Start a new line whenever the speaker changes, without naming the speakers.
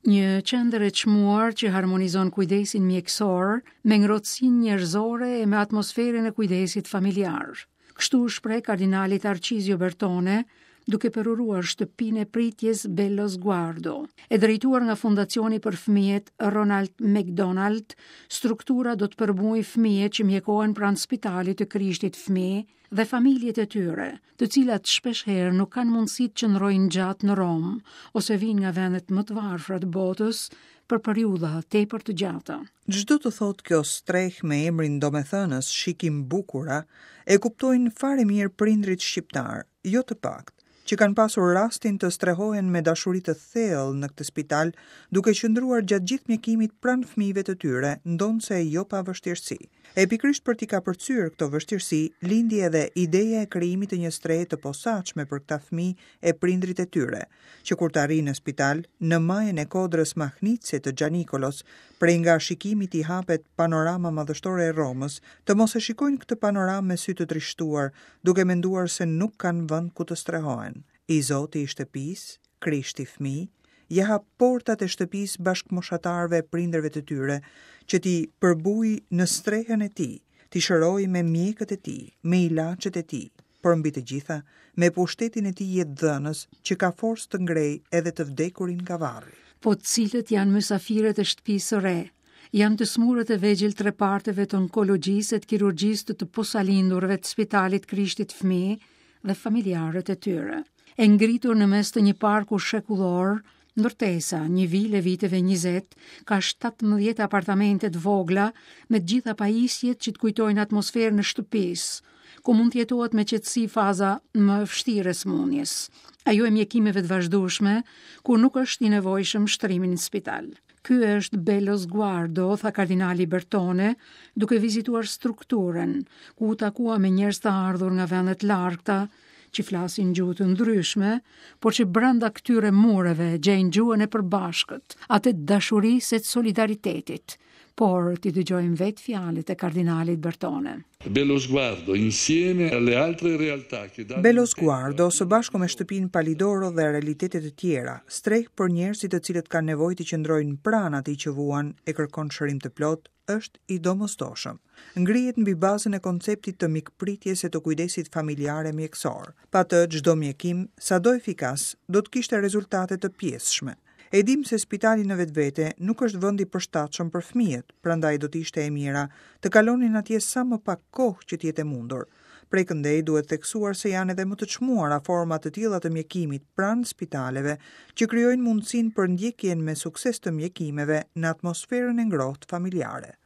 Një qendër e çmuar që harmonizon kujdesin mjekësor me ngrohtësinë njerëzore e me atmosferën e kujdesit familjar. Kështu u shpreh kardinali Tarcizio Bertone, duke përuruar shtëpinë e pritjes Bellosguardo. E drejtuar nga Fondacioni për Fëmijët Ronald McDonald, struktura do të përbujë fëmijët që mjekohen pranë spitalit të Krishtit Fëmijë dhe familjet e tyre, të cilat shpeshherë nuk kanë mundësi të qëndrojnë gjatë në Romë ose vijnë nga vendet më të varfra të botës për periudha tepër të gjata.
Ç'do të thotë kjo strehë me emrin domethënës Shikimbukura, e kuptojnë fare mirë prindërit shqiptarë, jo të paktë, që kanë pasur rastin të strehohen me dashuri të thellë në këtë spital, duke qëndruar gjatë gjithë mjekimit pranë fëmijëve të tyre, ndonëse jo pa vështirësi. E pikërisht për t'i kapërcyer këto vështirësi, lindi edhe ideja e krijimit të një strehe të posaçme për këta fëmijë e prindërit e tyre, që kur të arrijnë në spital, në majën e kodrës mahnitëse të Xhanikolos, prej nga shikimit i hapet panorama madhështore e Romës, të mos e shikojnë këtë panoramë me sy të trishtuar, duke menduar se nuk kanë vend ku të strehohen. I zoti i shtëpisë, Krishti fëmijë, ia hap portat e shtëpisë bashkëmoshatarëve e prindërve të tyre, që t'i përbujë në strehën e tij, t'i shërojë me mjekët e tij, me ilaçet e tij, por mbi të gjitha, me pushtetin e tij jetëdhënës, që ka forcë të ngrejë edhe të vdekurin nga
varri. Po cilët janë mysafirët e shtëpisë së re? Janë të sëmurët e vegjël të reparteve të onkologjisë e të kirurgjisë të të posalindurve të spitalit Krishtit Fëmijë dhe familjarët e tyre. E ngritur në mes të një parku shekullor, ndërtesa, një vilë e viteve 20, ka 17 apartamente të vogla me të gjitha pajisjet që të kujtojnë atmosferën e shtëpisë, ku mund të jetohet me qetësi faza më e vështirë e sëmundjes. Ajo e mjekimeve të vazhdueshme, kur nuk është i nevojshëm shtrimi në spital. Ky është Bellosguardo, tha kardinali Bertone, duke vizituar strukturën, ku u takua me njerëz të ardhur nga vende të largëta, që flasin gjuhë të ndryshme, por që brenda këtyre mureve gjejnë gjuhën e përbashkët, atë të dashurisë e të solidaritetit. Por t'i dëgjojmë vetë fjalët e kardinalit Bertone.
Bellosguardo insieme alle altre realtà
che danno Bellosguardo, së bashku me shtëpinë Palidoro dhe realitete të tjera, strehë për njerëzit të cilët kanë nevojë të qëndrojnë pranë atij që vuan e kërkon shërim të plotë, është i domosdoshëm. Ngrihet mbi bazën e konceptit të mikpritjes e të kujdesit familjar e mjekësor. Pa të, çdo mjekim, sado efikas, do të kishte rezultate të pjesshme. E dimë se spitali në vetvete nuk është vend i përshtatshëm për fëmijët, prandaj do të ishte e mira të kalonin atje sa më pak kohë që të jetë e mundur. Prej këndej duhet theksuar se janë edhe më të çmuara forma të tilla të mjekimit pranë spitaleve, që krijojnë mundësinë për ndjekjen me sukses të mjekimeve në atmosferën e ngrohtë familjare.